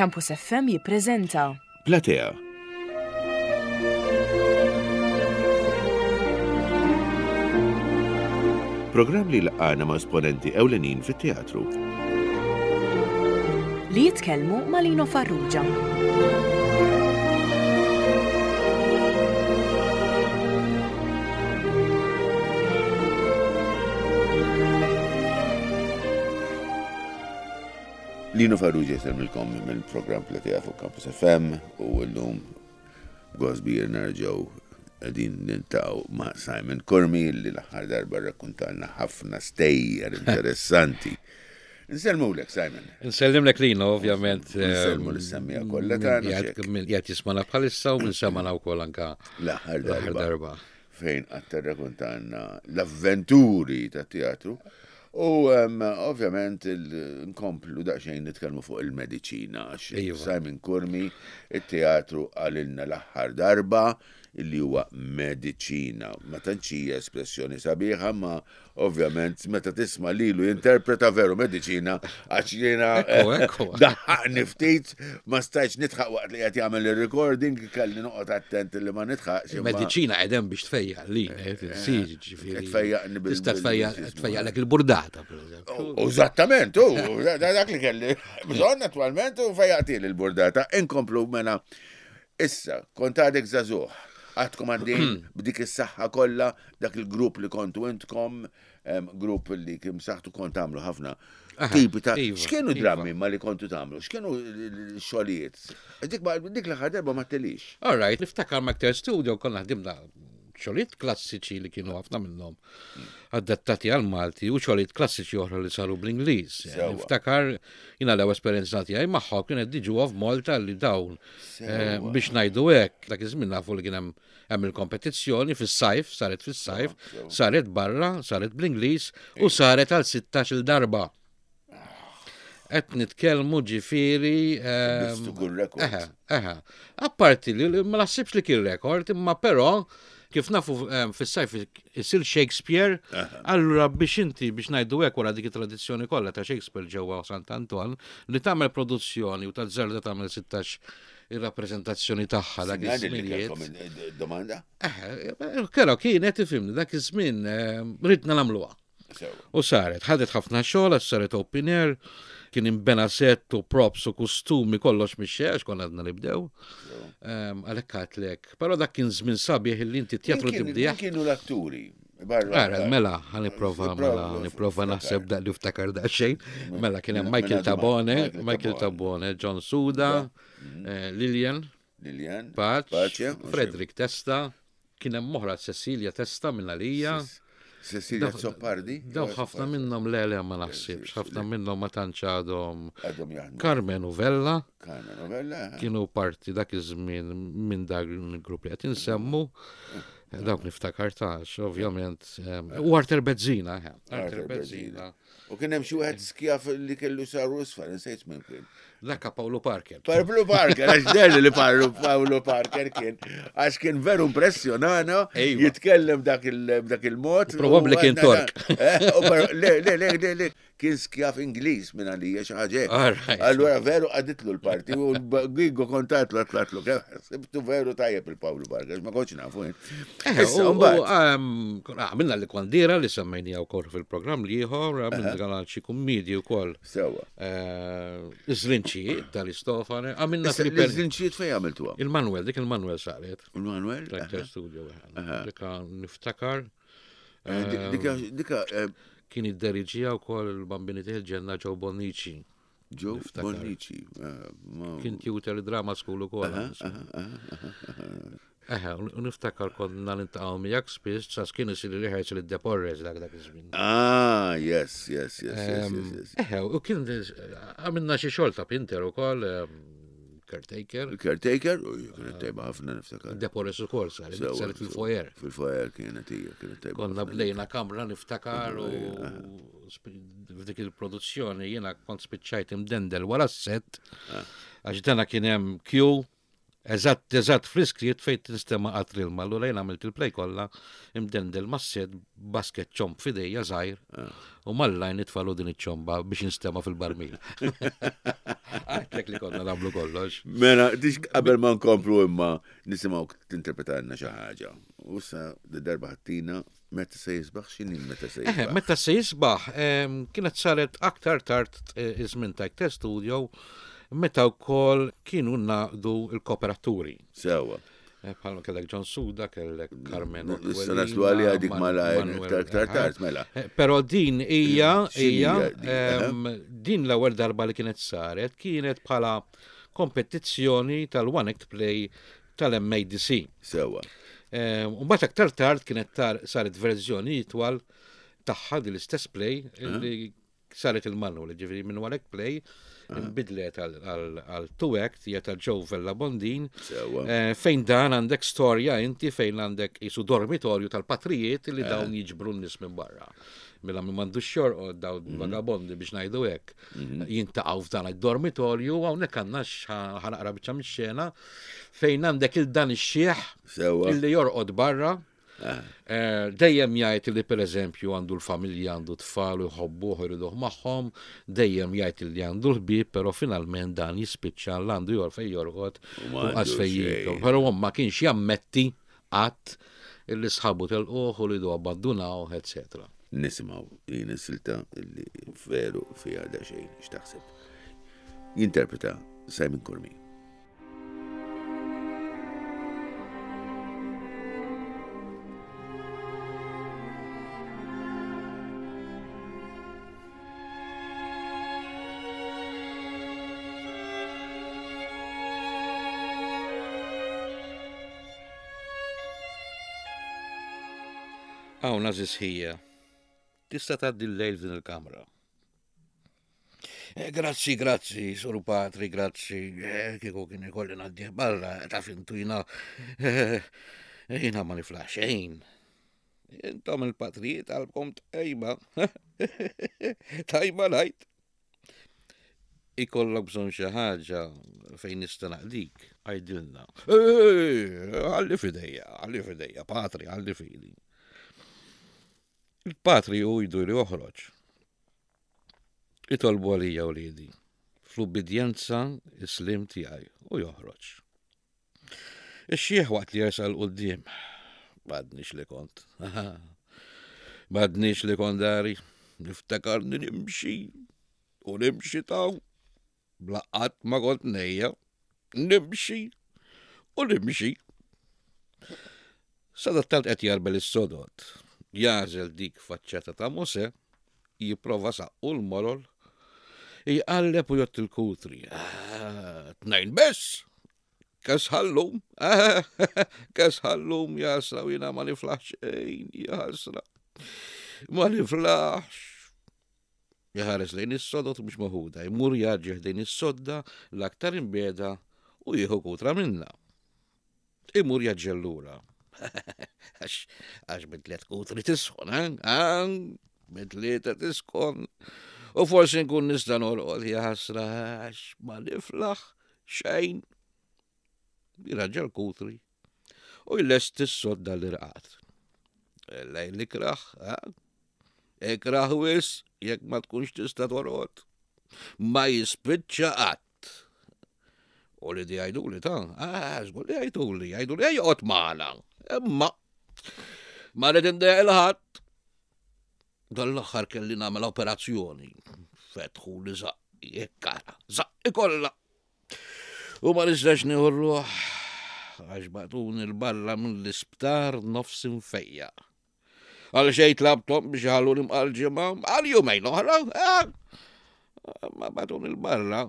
Campus FM jippreżenta. Platea. Programm li laqgħana ma' esponenti ewlenin fit-teatru. Li jitkellmu ma' Lino Farrugia. Lino Farrugia jsellmilkom mill-programm Platea fuq Campus FM u llum b'gost kbir nerġgħu qegħdin niltaqgħu ma' Simon Curmi li l-aħħar darba rrakkuntalna ħafna stejjer interessanti. Nsellmulek Simon. Nsellimlek Lino, ovvjament. Nsellmu lis-semmiegħa kollha tagħna. Min qiegħed jismana bħalissa u min semana wkoll anka l-aħħar darba. Fejn qatt tirrakuntalna l-avventuri tat-teatru. U ovvjament nkomplu daqsxejn nitkellmu fuq il-mediċina għax iva. Simon Curmi it-teatru qalilna l-aħħar darba illi huwa mediċina. Ma tantx hija espressjoni sabiħa ma ovvjament meta tisma' lilu jinterpreta veru mediċina għax jiena daħħaqni ftit ma stajtx nidħaq waqt li qed jagħmel ir-recording kelli noqgħod attent li ma nidħaqx. Mediċina qegħdem biex tfejjaq li eh, eh, Ġifieri. Tfejjaqni bil. Tista' tfejjaqlek il-burdata, pereżempju. Eżattament, u dak li kelli bżonn attwalment u fejjaqti l-burdata. Inkomplu mela issa, kont għadek żagħżugħ, għadkom għaddejn b'dik is-saħħa kollha, dak il-grupp li kontu intkom, grupp li kien saħtu kont tagħmlu ħafna tipi ta' iva, x'kienu iva. drammi ma li kontu tagħmlu, x'kienu xogħlijiet. Dik dik l-aħħar darba ma telix. All right, niftakar ma' Studio konna ħdimna xogħlijiet klassiċi li kienu ħafna minnhom adattati għal Malti u xogħlijiet klassiċi oħra li saru bl-Ingliż. Niftakar jiena l-ewwel esperjenza tiegħi magħhom kienet diġu of Malta li dawn eh, biex ngħidu hekk dak iż-żmien nafu li kien hemm hemm il-kompetizzjoni fis-sajf, saret fis-sajf, saret barra, saret bl-Ingliż u saret għal 16-il darba. Qed nitkellmu ġifieri. Ehm, rekord. Eħe, eħe. Apparti li ma naħsibx li kien rekord, imma però kif nafu ehm, fis-sajf isir Shakespeare, allura biex inti biex ngħidu hekk wara dik it-tradizzjoni kollha ta' Shakespeare ġewwa Sant Anton li tagħmel produzzjoni u tażżarda tagħmel 16 ir-rappreżentazzjoni tagħha dak iż-żmien. Domanda? Eħe, però kienet ifhimni dak iż-żmien ehm, ridna nagħmluha. U saret, ħadet ħafna xogħol għax saret open air, kien imbena set u props u kostumi kollox mix għax konna għadna nibdew. Ehm, għalhekk għatlek. Però dak kien żmien sabiħ illi inti teatru tibdih. Kienu l-atturi. Ara, mela, ħa nipprova, mela, nipprova naħseb daq li ftakar daqsxejn. Mela, kien hemm Michael Tabone, Michael Tabone, John Suda, mm. eh, Lilian, Lilian, Pace, Frederick Testa, kien hemm oħra Cecilia Testa minn għalija. Cecilia Zoppardi? Daw ħafna minnhom le le ma naħsibx, ħafna minnhom ma tantx għadhom. Carmen u Vella. Carmen u Vella. Kienu parti dak iż-żmien minn dak il-grupp li qed insemmu. Dawk niftakar tax, ovvjament. U Arthur Bezzina, Arthur Bezzina. U kien hemm xi wieħed skjaf li kellu saru isfar, insejt minn kien. Dakka Paolo Parker. Paolo Parker, għax derli li Paolo Paolo Parker kien, għax kien veru impressjonana, jitkellem dak il-mod. Probabbli kien Tork. Eh, le, le, le, le, le, kien skjaf Ingliż minn għalija xi ħaġa. Allura veru għaditlu l-parti u Gigo kontatlu għatlatlu kemm sibtu veru tajjeb il-Paolo Parker, ma kontx nafu. Eh, ehm, għamilna li kwandira li semmejnija wkoll fil-programm li ieħor, għamilna għal xi kummedji wkoll. Sewa. Eh, iż-żrinċijiet tal-Istofane, għamilna Iż-żrinċijiet fejn għamiltuha? Il-Manuel, dik il-Manuel saret. Il-Manuel? Director Studio. Dika niftakar. Eh, dika. Kien id-deriġija wkoll il-Bambini il-ġenna Joe Bonnici. Joe Bonnici. Kien tutor drama school ukoll. Eħe, u niftakar konna nintaqgħu miegħek spiss, sas kien isir rehearsal id-Deporres dak dak iż-żmien. Ah, yes, yes, yes, yes, yes. Eħe, u kien għamilna xi xogħol ta' Pinter ukoll, caretaker. Caretaker, u kienet tajba ħafna niftakar. Deporres ukoll saret, saret fil-foyer. Fil-foyer kienet hija, kienet tajba. Konna bdejna kamra niftakar u f'dik il-produzzjoni jiena kont spiċċajt imdendel wara s-set, ah. għax dana kien hemm queue. Eżatt, eżatt fl-iskriet fejn tinstema' qatr ilma, allura jien għamilt il-play kollha imdendel mas-set basket ċomb f'idejja żgħir ah. u mallajn nitfalu din iċ-ċomba biex instema' fil-barmil. Għajtlek li konna nagħmlu kollox. Mela, dix qabel ma nkomplu imma nisimgħu tinterpretalna xi ħaġa. U sa darba ħattina meta se jisbaħ x'inhi meta se eh, jisbaħ? Meta se jisbaħ kienet saret aktar tard eh, iż-żmien ta' Ikter Studio meta wkoll kienu naqdu l-kooperaturi. Sewa. Eh, bħalma kellek John Suda, kellek Carmen. Issa naslu għalija dik malajr iktar iktar tard, mela. Però din hija hija din l-ewwel darba li kienet saret kienet bħala kompetizzjoni tal-One Act Play tal-MADC. Sewa. Ehm, u mbagħad aktar tard kienet tar saret verżjoni itwal tagħha din l-istess play eh. li saret il-manual, ġifieri minn one act play eh. nbidlet għal two act hija ta' Joe Vella Bondin. Eh, fejn dan għandek storja inti fejn għandek isu dormitorju tal-patrijiet li dawn jiġbru n-nies minn barra. Mela min m'għandux xorqod dawn mhm. vagabondi biex ngħidu hekk mhm. jintaqgħu f'dan id-dormitorju hawnhekk għandna ħanaqra biċċa mix-xena fejn għandek il dan ix-xieħ illi jorqod barra. Ah. Eh, dejjem jgħid li pereżempju għandu l-familja, għandu tfal u jħobbuh jriduh magħhom, dejjem jgħid li għandu l-ħbieb, però finalment dan jispiċċa l-għandu jor fejn jorqod u qas fejn jiekol. Però ma kienx jammetti qatt illi sħabu telquh u li du abbandunawh, etc. Nisimgħu din is-silta li veru fiha daqsxejn x'taħseb. Jinterpreta Simon Curmi. Hawn għażiż ħija, tista' tgħaddi l-lejl f'din il-kamra. Eh, grazzi, grazzi, Sur Patri, grazzi. Eh, kieku kien ikolli ngħaddih barra, taf intu jina. Eh, jina ma niflaħ xejn. Intom il-patrijiet għalbkom tajba. Tajba ngħid. Ikollok bżonn xi ħaġa fejn nista' naqdik, għidilna. Ħalli f'idejja, ħalli f'idejja, patri, ħalli f'idi. Il-patri u jdur joħroġ. Itolbu għalija wliedi, fl-ubbidjenza is-slim tiegħi u joħroġ. Ix-xiħ waqt li jersaq 'l quddiem. M'għadnix li kont. M'għadnix li kont dari. Niftakarni nimxi u nimxi taw. Bla qatt ma kont nejja. Nimxi u nimxi. Sadattant qed jarbel is-sodod. Jagħżel dik faċċata ta' Mosè, jipprova saqqu l-molol, jqalleb u jgħodd il-kutri. Ah, tnejn biss! Kesħallum, eh, kesħallum, jasra u jina ma niflaħx xejn, jasra. Ma niflaħx. Jħares lejn is-sodot mhux maħuda, jmur jaġġi ħdejn is-sodda l-aktar imbeda u jieħu kutra minna. Imur jaġġel lura. Għax għax minn tliet kutri tisħon, eh? Ah, minn tlieta tisħon. U forsi nkun nista' norqod jaħasra għax ma niflaħ xejn. Jiraġġa l-kutri u jlesti s-sodda l-irqad. Lejl ikraħ, eh? Ikraħ wis jekk ma tkunx tista' torqod. Ma jispiċċa qatt. U li di għajduli ta' ah, żgur li għajduli, għajduli għajqot maħna. Imma, ma rrid indejjaq il-ħadd. Dan l-aħħar kelli nagħmel operazzjoni. Fetħu li zaqqi, ekkara, zaqqi kollha. U ma nistax nieħu ruħ għax batuni l-barra mill-isptar nofs infejja. Għal xejn tlabtom biex iħalluni mqal ġimgħa, għal jumejn oħra, eh, ma batuni l-barra,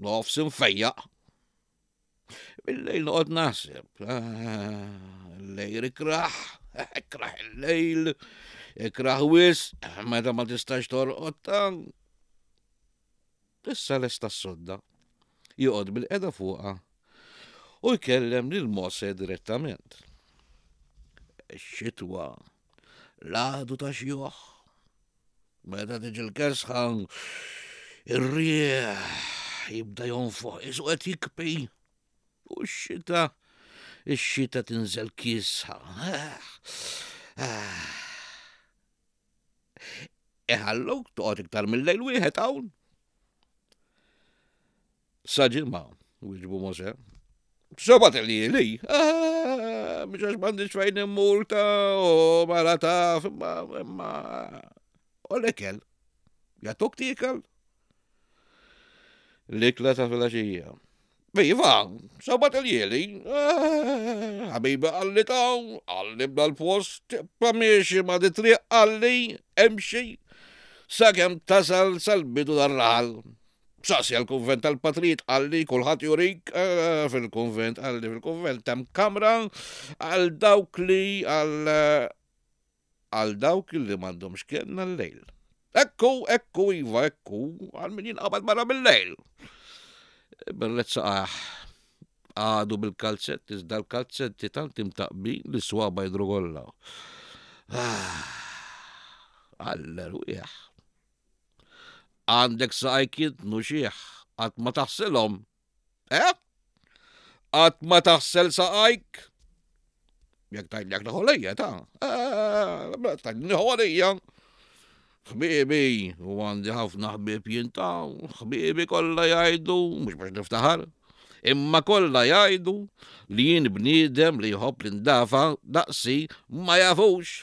nofs infejjaq. Bil-lejl noqgħod naħseb, eh, il-lejl ikraħ, ikraħ il-lejl, ikraħ wis, meta ma tistax torqod ta' Issa lesta s-sodda, joqgħod bilqiegħda fuqha u jkellem lil Mosè direttament. Ix-xitwa l-għadu ta' xjuħ. Meta tiġi l-kesħa, ir-riħ jibda jonfoħ, isu qed jikpi. U x-xita, ix-xita tinżel kiesħa. Iħalluk toqgħod iktar mill-lejl wieħed hawn. Sa ġimgħa, wieġbu Mosè. Sebat li, ah, mhux għax m'għandix fejn immur ta' u mara taf, imma imma u l-ikel. Jagħtuk tiekel? L-ikla ta' filgħaxija. Iva, sebat il-jeli, ah, ħabibi qalli ta' qalli b'dal post, tibqa' miexi ma' di triq qalli, emxi, sakemm tasal sal-bidu dar-raħal. Saqsi għall-kunvent tal-patrijiet qalli kulħadd jurik eh, fil-kunvent qalli fil-kunvent hemm kamra għal dawk li għal eh, għal dawk li m'għandhomx kenna l-lejl. Ekku, ekku, iva, ekku, għal min jinqabad barra bil-lejl. Berlet saqaħ għadu bil-kalzetti, iżda l-kalzetti tant imtaqbin li swaba jidru kollha. Ah, Għall-erwieħ. Għandek saqajk jintnu xiħ, qatt ma taħsilhom. Eh? Qatt ma taħsel saqajk? Jekk tgħidli jekk naħolija ta' eh, tgħidli ħolija. Ħbiebi, u għandi ħafna ħbieb jien ta' ħbiebi kollha jgħidu, mhux biex niftaħar, imma kollha jgħidu li jien bniedem li jħobb l-indafa daqsi ma jafux.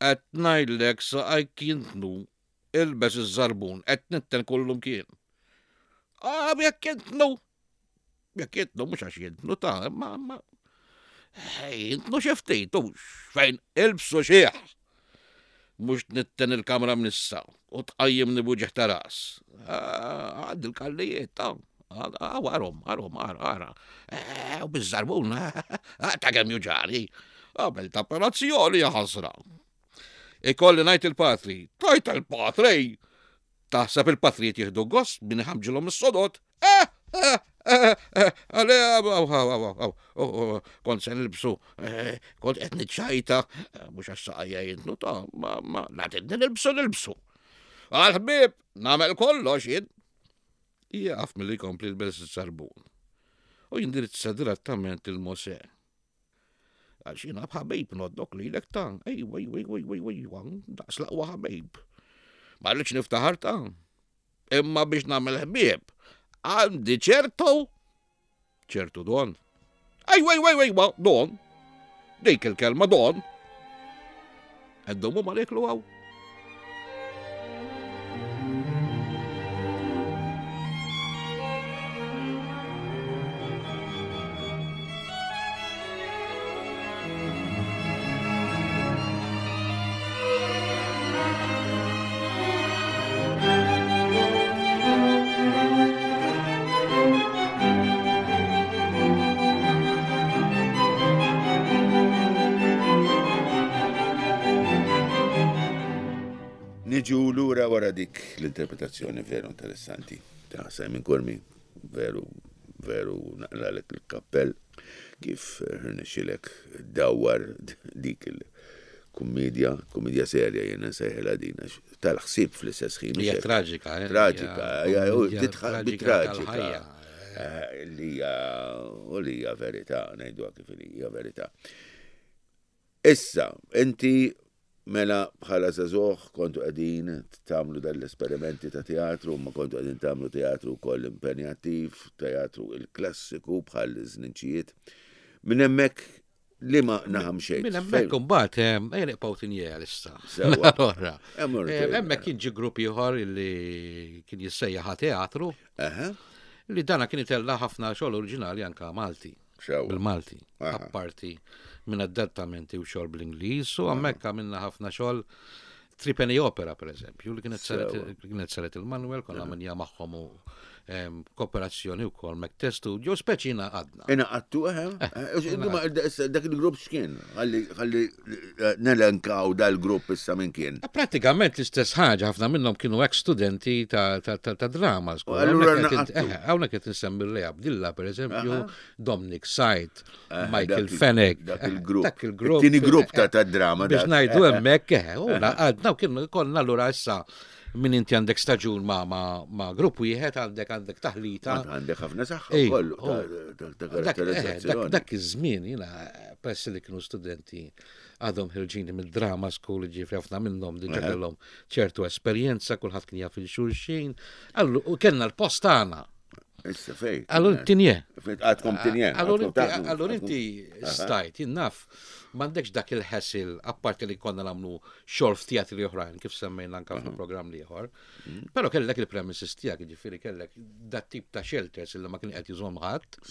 Qed ngħidlek saqajk jintnu, ilbes iż-żarbun, qed nitten kullumkien. Ah, jekk jintnu! Jekk jintnu, mhux għax jintnu ta' imma ma jintnu xi ftit, hux fejn ilbsu xieħ. Mhux nitten il-kamra mnissa u tqajjimni b'uġigħ ta' ras. Ah, għandi l-kallijiet ta' Għarom, għarom, għara, eh, u bizzarbun, eh, ta' kemm juġani. Għamel ta' operazzjoni ħasra. Ikolli ngħid il-patri, tajt il-patri! Taħseb il-patrijiet jieħdu gost min iħamġilhom is-sodod? Eh, kont se nilbsu, kont qed niċċajta, mhux għax saqajja jintnu ta' ma ma nagħtidni nilbsu nilbsu. Għal-ħbieb, nagħmel kollox jien. Jieqaf milli jkompli l-bels żarbun u jindirizza direttament lil Mosè. Għax jiena b'ħabib noddok lilek ta' ejwa, ejwa, ejwa, ejwa, ejwa, ejwa, daqs l-aqwa ħabib. Ma rridx niftaħar ta' imma biex nagħmel ħbieb għandi ċertu ċertu don. Ejwa, ejwa, ejwa, ejwa, don. Dik il-kelma don. Għeddumu ma niklu għaw. Niġu lura wara dik l-interpretazzjoni veru interessanti ta' Simon Curmi, veru, veru naqralek il-kappell kif rnexxilek dawwar dik il-kummedja, kummedja serja jiena nsejħilha din għax tal-ħsieb fl-istess ħin. Hija traġika, eh? Traġika, tidħaq bi traġika. Eh, li hija u li hija verità, ngħiduha kif hija verità. Issa, inti mela bħala żagħżugħ kontu qegħdin tagħmlu dan l-esperimenti ta' teatru, ma kontu qegħdin tagħmlu teatru wkoll impenjattiv, teatru il-klassiku bħal żninċijiet. Minn hemmhekk liema naħa mxejt? Minn hemmhekk imbagħad eh, ejja nibqgħu tinjea issa. Sewwa. Allora, eh, hemmhekk kien ġi grupp ieħor li kien jissejjaħ teatru. Li dana kien itella' ħafna xogħol oriġinali anka Malti. Bil-Malti. Apparti minn adattamenti u xogħol bl-Ingliż u hemmhekk għamilna ħafna xogħol Tripeni Opera per eżempju, li kienet saret il-Manuel, konna għamilja magħhom u kooperazzjoni wkoll Mac Studio, speċi ingħaqadna. Ingħaqadtu, eh, eh, eh, dak il-grupp x'kien? Ħalli nelenkaw dal-grupp issa minn kien. Pratikament l-istess ħaġa, ħafna minnhom kienu ex studenti ta' drama. Hawnhekk qed insemmi Lea Abdilla, per eżempju, Dominic Said, Michael Fenech. Dak il-grupp. Dak il-grupp. Tieni grupp ta' drama. Biex ngħidu hemmhekk, u naqadna u kien konna allura issa Minn inti għandek staġun ma, ma, ma grupp wieħed għandek għandek taħlita. Għandek ħafna saħħa kollu oh. ta' eh, karatterizzazzjoni. Dak iż-żmien jiena peress li kienu studenti għadhom ħirġini mid-drama school ġifri ħafna minnhom diġà kellhom ċertu esperjenza, kulħadd kien jaf il-xulxin. Allu kellna l-post tagħna. Issa fej. Allura tinje. Għadkom tinje. Allura inti stajt, jinnaf, m'għandekx dak il-ħesil, apparti li konna nagħmlu xogħol f'teatri oħrajn kif semmejna anke fil-programm l-ieħor. Mm. Però kellek il-premises tiegħek, jiġifieri kellek dat tip ta' shelters illi ma kien qed jużhom ħadd.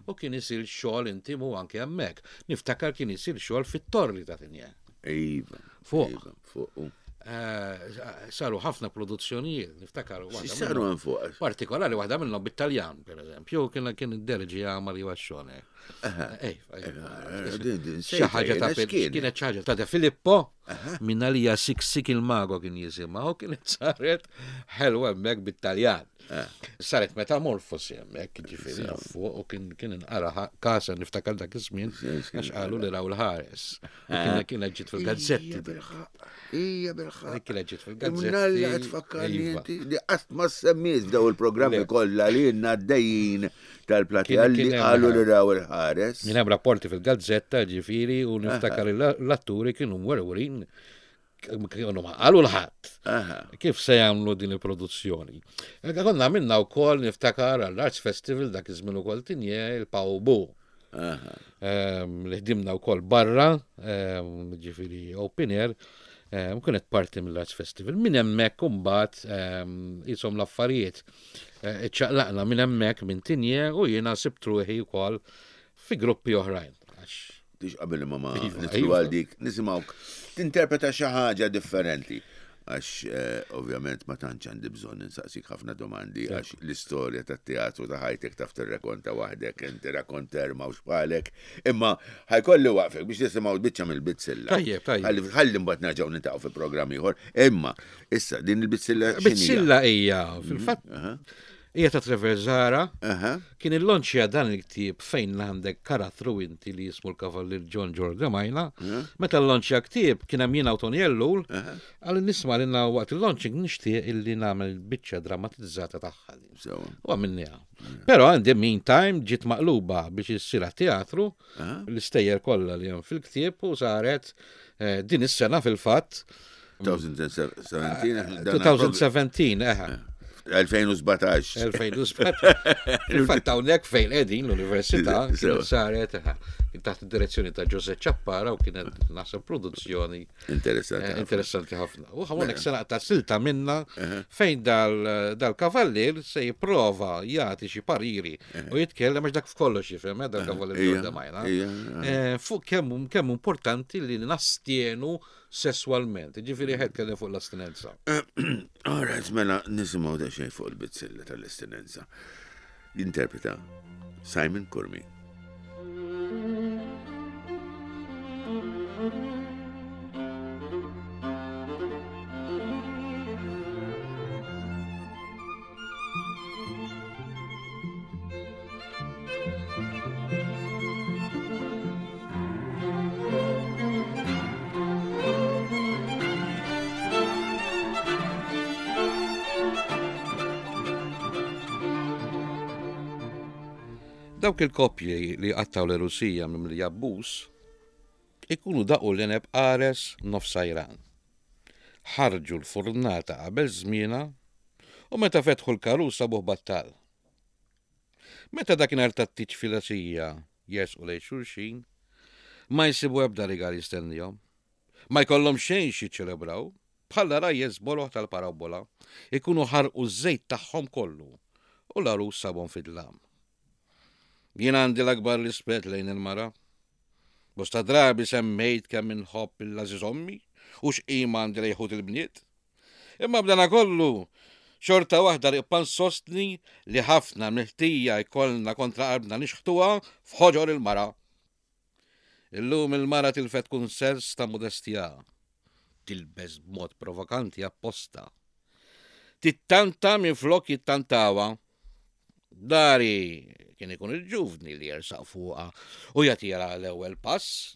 U kien isir xogħol intimu anke hemmhekk. Niftakar kien isir xogħol fit-torri ta' Tinje. Iva. Fuq. Iva, fuq. Eh, saru ħafna produzzjonijiet, niftakar. Saru għan fuq. Partikolari waħda minnhom bit-Taljan, per eżempju, kien kien id-derġi għamar Iwaxxone. Eh, xi ħaġa ta' kienet xi ħaġa ta' De Filippo minn għalija Sik il-Mago kien jisimha u kienet saret ħelwa hemmhekk bit-Taljan. Eh. Saret metamorfosi hemmhekk, ġifieri fuq u kien kien inqara kasa niftakar dak iż-żmien għax qalu li raw l-ħares. U eh. kienet ġiet fil-gazzetti. Hija bilħaq. Kienet ġiet fil-gazzetti. Mnalla qed tfakkarni iva. inti li qatt ma semmiet f'daw il-programmi kollha li jenna għaddejjin tal-platija li qalu li raw il-ħares. Kien hemm rapporti fil-gazzetta ġifieri u niftakar l-atturi kienu mwerwrin kienu ma qalu l-ħadd. Kif se jagħmlu din il-produzzjoni? Konna minna wkoll niftakar għall-Arts Festival dak iż-żmien ukoll tinje il-Pawbu. Ehm, li ħdimna wkoll barra, ehm, ġifieri open air, ehm, kienet parti mill-Arts Festival. Minn hemmhekk imbagħad jisom l-affarijiet. Eh, iċċaqlaqna minn hemmhekk minn tinje u jiena sibt ruħi wkoll fi gruppi oħrajn. Tix qabel imma ma iva, nitlu iva. għal dik, nisimgħuk tinterpreta xi ħaġa differenti. Għax eh, ovvjament ma tantx għandi bżonn insaqsik ħafna domandi għax l-istorja tat-teatru ta' ħajtek taf tirrekonta waħdek, inti rakonter ma bħalek. Imma ħajkolli waqfek biex nisimgħu biċċa mill-bizzilla. Tajjeb, tajjeb. Ħalli mbagħad nerġgħu nintaqgħu fi programm ieħor. Imma issa din il-bizzilla Bizzilla hija fil-fatt Hija ta' Trevor Zahra. Kien illonċja dan il-ktieb fejn għandek karattru inti li jismu l-Kavallier John George Majna. Meta llonċja ktieb kien hemm jiena u Tony Ellul, qal nisma' li waqt il-launching nixtieq illi nagħmel biċċa drammatizzata tagħha. U għamilniha. Però in the meantime ġiet maqluba biex issir teatru l-istejjer kollha li hemm fil-ktieb u saret eh, din is-sena fil-fatt 2017. 2017, eħe. 2017. 2017. Fil-fatt hawnhekk fejn qegħdin l-università kienet saret taħt id-direzzjoni ta' Jose Ċappara u kienet naħseb produzzjoni interessanti eh, interessanti ħafna. U hawnhekk se naqta' silta minna fejn dal-kavallier se jipprova jagħti xi pariri u jitkellem għax dak f'kollox jifhem eh, dal-kavallier Ġorda Majna. Eh, fuq kemm kemm importanti li nastienu sesswalment. Ġifieri ħed kellem fuq l-astinenza. Alright, mela nisimgħu daqsxejn fuq il-bizzilla tal-astinenza. Jinterpreta Simon Curmi. Dawk il-koppji li jqattgħu l-għerusija mimlija abbuż ikunu daqu l-għeneb qares nofsajran. Ħarġu l-furnata qabel żmienha u meta fetħu l-karus sabuh battal. Meta dakinhar tat-tieġ filgħaxija jersqu lejn xulxin, ma jsibu ebda rigal jistennihom. Ma jkollhom xejn x'jiċċelebraw, bħal għarajjes boloh tal-parabbola, ikunu ħarqu ż-żejt tagħhom kollu u l-għarus sabhom fid-dlam. Jien għandi l-akbar rispett lejn il-mara. Bosta drabi semmejt kemm inħobb il-għażiż ommi u x'qima għandi lejn ħut il-bniet. Imma b'danakollu, xorta waħda nibqa' nsostni li ħafna mill-ħtija jkollna kontra qalbna nixħtuha f'ħoġor il-mara. Illum il-mara tilfet kull sens ta' modestja. Tilbes b'mod provokanti apposta. Tittanta minflok jittantawha. Dari kien ikun il-ġuvni li jersaq fuqha u jagħtiha l-ewwel pass.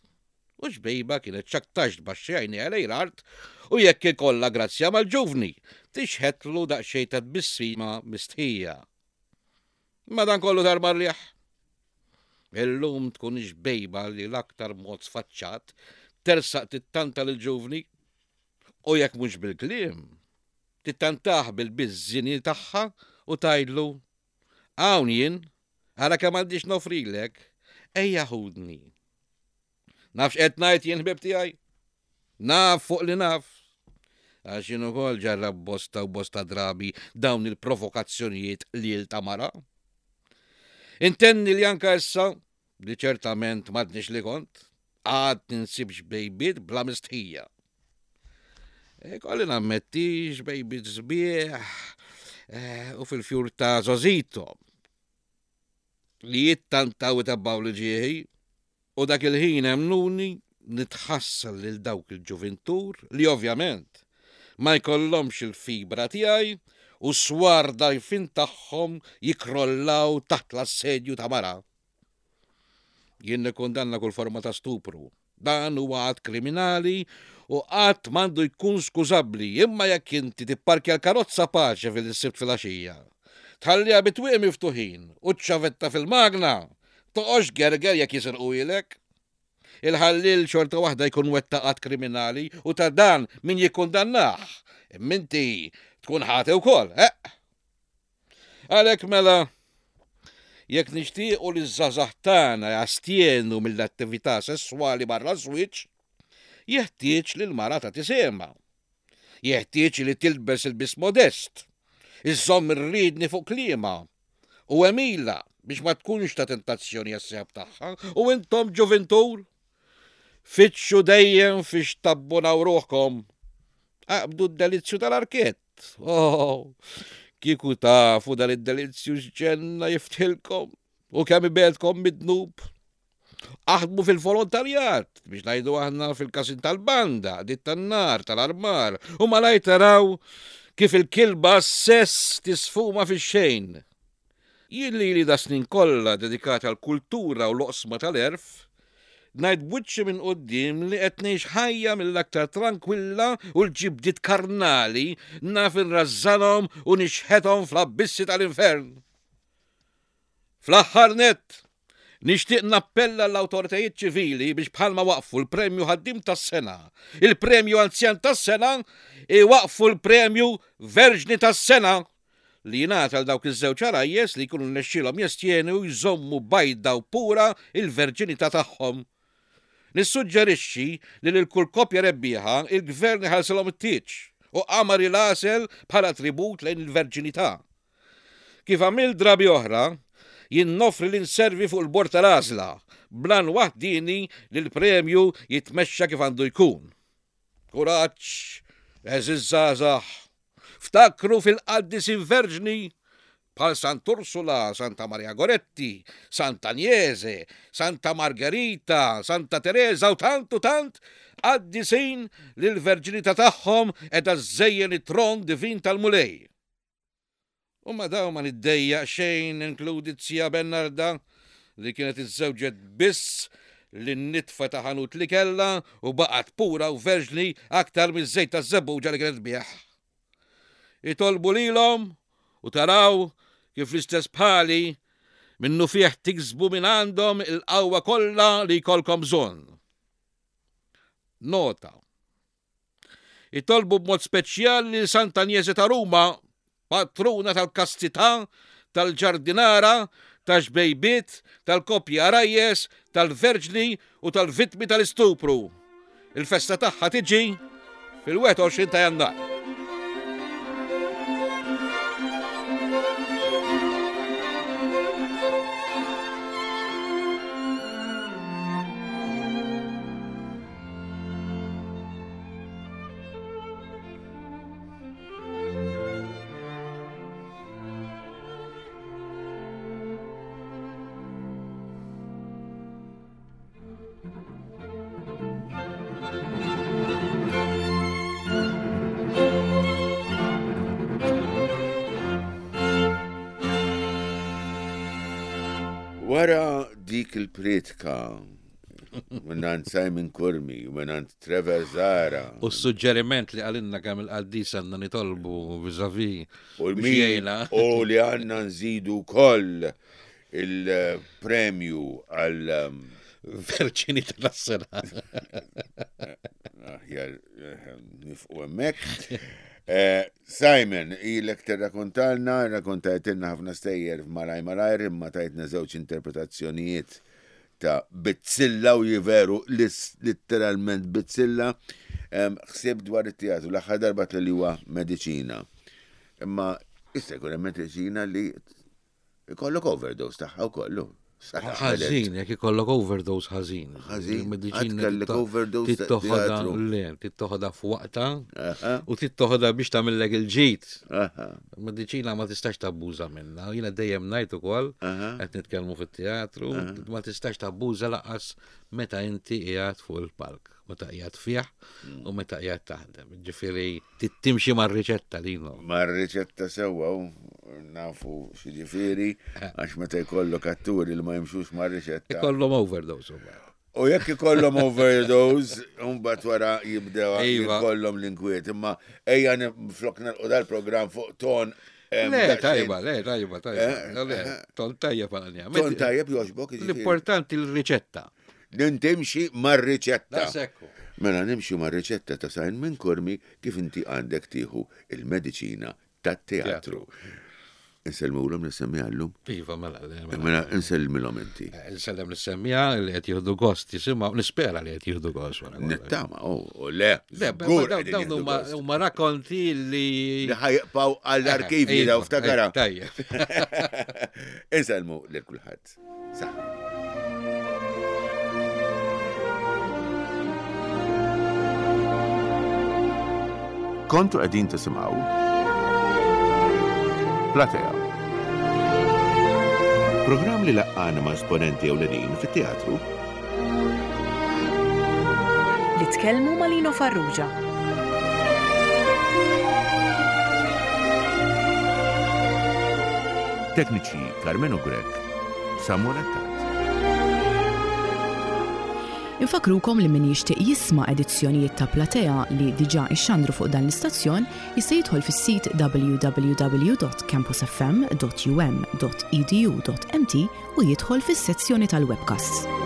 U xbejba kienet x'aktarx tbaxxi għajnejha lejn l-art u jekk ikollha grazzja mal-ġuvni, tixħetlu daqsxejn ta' tbissima mistħija. Madankollu darba rrieħ. Illum tkun ix-xbejba li l-aktar mod sfaċċat tersaq tittanta lill-ġuvni u jekk mhux bil-kliem, tittantah bil-biż-żini tagħha u tgħidlu, Hawn jien, ara kemm għandi x'noffrilek, ejja ħudni. Naf x'qed ngħid jien ħbieb tiegħi? Naf fuq li naf. Għax jien ukoll ġarrab bosta u bosta drabi dawn il-provokazzjonijiet lil ta' mara. Intenni li anka issa, li ċertament m'għadniex li kont, għad ninsib xbejbiet bla mistħija. E, kolli nammetti xbejbiet sbieħ e, u fil-fjur ta' Zozito li jittantaw itabbaw li ġieħi u dak il-ħin emmnuni nitħassar lil dawk il-ġuvintur li ovvjament ma jkollhomx il-fibra tiegħi u s-swar dgħajfin tagħhom jikkrollaw taħt l-assedju ta' mara. Jien nikkundanna kull forma ta' stupru. Dan huwa att kriminali u qatt m'għandu jkun skużabbli, imma jekk inti tipparkja l-karozza paċe fil-Sibt filgħaxija, tħalliha bit-twieqi miftuħin u ċ-ċavetta fil-magna, toqgħodx tgerger jekk jisirquhielek. Il-ħalliel xorta waħda jkun wettaq att kriminali u ta' dan min jikkundannah, imma inti tkun ħati wkoll, eqq! Għalhekk mela, jekk nixtiequ li ż-żgħażagħ tagħna jastjenu mill-attività sesswali barra ż-żwieġ, jeħtieġ li l-mara tagħti sehemha. Jeħtieġ li tilbes ilbies modest, iżżomm ir-riedni fuq kliemha u għemilha biex ma tkunx ta' tentazzjoni għas-sieħeb tagħha. U intom ġuvintur, fittxu dejjem fiex tabbunaw ruħkom. Aqbdu d-delizzju tal-arkett. Oh, kieku tafu dan id-delizzju x'ġenna jiftħilkom u kemm ibegħedkom mid-dnub. Aħdmu fil-volontarjat biex ngħidu aħna fil-każin tal-banda, dit tan-nar, tal-armar, u malajr taraw kif il-kilba sess tisfuma fix-xejn. Jien lili das-snin kollha dedikat għall-kultura u l-oqsma tal-għerf, ngħid b'wiċċi minn quddiem li qed ngħix ħajja mill-aktar trankwilla u l-ġibdiet karnali naf inrażżanhom u nixħethom fl-abbissi tal-infern. Fl-aħħar nett, nixtieq nappella lill-awtoritajiet ċivili biex bħalma waqqfu l-Premju Ħaddiem tas-Sena, il-Premju Anzjan tas-Sena, iwaqqfu l-Premju Verġni tas-Sena! li jingħata għal dawk iż-żewġ għarajjes li jkunu rnexxielhom jestjenu u jżommu bajda u pura l-verġinità tagħhom. Nissuġġerixxi li lil kull koppja rebbieħa il-Gvern iħallsilhom it-tieġ u qamar il-għasel bħala tribut lejn il-verġinità. Kif għamilt drabi oħra, jien noffri li nservi fuq il-bord tal-għażla, bl-għan waħdieni li l-premju jitmexxa kif għandu jkun. Kuraġġ, għeżież żgħażagħ! Ftakru fil-qaddisin verġni bħal Sant'Ursula, Santa Maria Goretti, Sant'Anjese, Santa Margherita, Santa Tereża u tant u tant qaddisin li l-verġinità tagħhom qiegħda żżejjen it-tron divin tal-Mulej. U ma' dawn ma niddejjaq xejn ninkludi z-zija Bernarda li kienet iżżewġet biss lin-nitfa ta' ħanut li kellha u baqgħet pura u verġni aktar miż-żejt taż-żebbuġa li kienet tbigħ. Itolbu lilhom u taraw kif l-istess bħali minnufih tiksbu mingħandhom il-qawwa kollha li jkollkom bżonn. Nota, Itolbu b'mod speċjali lil Sant'Anjese ta' Ruma, patruna tal-kastità, tal-ġardinara, tax-xbejbiet, tal-koppji għarajjes, tal-verġni u tal-vittmi tal-istupru. Il-festa tagħha tiġi fil-21 ta' Jannar. Wara dik il-priedka. Minnant Simon Curmi, minnant Trevor Zara. U s-suġġeriment li għalinna kemm il-qaddis għandna nitolbu vizavi. U l-min u li għandna nżidu koll il-premju għal um, Verċini tal-sena. Aħjar eh, nifqu hemmhekk. Eh, Simon, ilek tirrakontalna, rrakkontajtilna ħafna stejjer malaj malajr, imma tajtna żewġ interpretazzjonijiet ta' bizzilla u jiveru litteralment bizzilla. Ħsieb dwar it-teatru l-aħħar darba li huwa mediċina. Imma jista' jkun hemm mediċina li Ikollok overdose tagħha wkoll. Ħażin, jekk ikollok overdose ħażin. Ħażin. Mediċina kellek overdose. Tittoħodha le, tittoħodha f'waqta u tittoħodha biex tagħmillek il-ġid. Mediċina ma tistax tabbuża minnha. Jiena dejjem ngħid ukoll qed nitkellmu fit-teatru, ma tistax tabbuża laqas meta inti qiegħed fuq il-palk, meta qiegħed fih mm. u meta qiegħed taħdem. Ġifieri timxi mar-riċetta li no. Mar-riċetta sewwa nafu x'jiġifieri eh. għax meta jkollok atturi li ma jimxux mar-riċetta. Ikollhom overdose mbagħad. U jekk ikollhom overdose, mbagħad wara jibdew iva. jkollhom l-inkwiet. Imma ejja flok nagħlqu dal-programm fuq ton Le, tajba, le, tajba, tajba. Eh, le, eh. ton tajjeb għal Ton tajjeb joġbok. L-importanti l-riċetta. Nintimxi mar-riċetta. Mela nimxi mar-riċetta ta' Sajn minn Kurmi kif inti għandek tieħu il-mediċina tat-teatru. Insellmulhom lis-semmiegħa llum? Iva, mela. Mela insellmilhom inti. Eh, insellem lis-semmiegħa li qed jieħdu gost jisimgħu, nispera li qed jieħdu gost wara. Nittama, oh, oh, le. Le, dawn huma rakkonti li. Li ħajqpaw għall-arkivji daw iva, ftakara. Eh, tajjeb. Insellmu lil kulħadd. Saħħa. Kontu qegħdin tisimgħu Platea. Programm li laqqana ma' esponenti ewlenin fit-teatru. Li tkellmu ma' Lino Farrugia. Tekniċi Carmenu Grech, Samuel Attard. Infakkrukom li min jixtieq jisma' edizzjonijiet ta' Platea li diġà ixxandru fuq dan l-istazzjon jista' jidħol fis-sit www.campusfm.um.edu.mt u jidħol fis-sezzjoni tal-webcasts.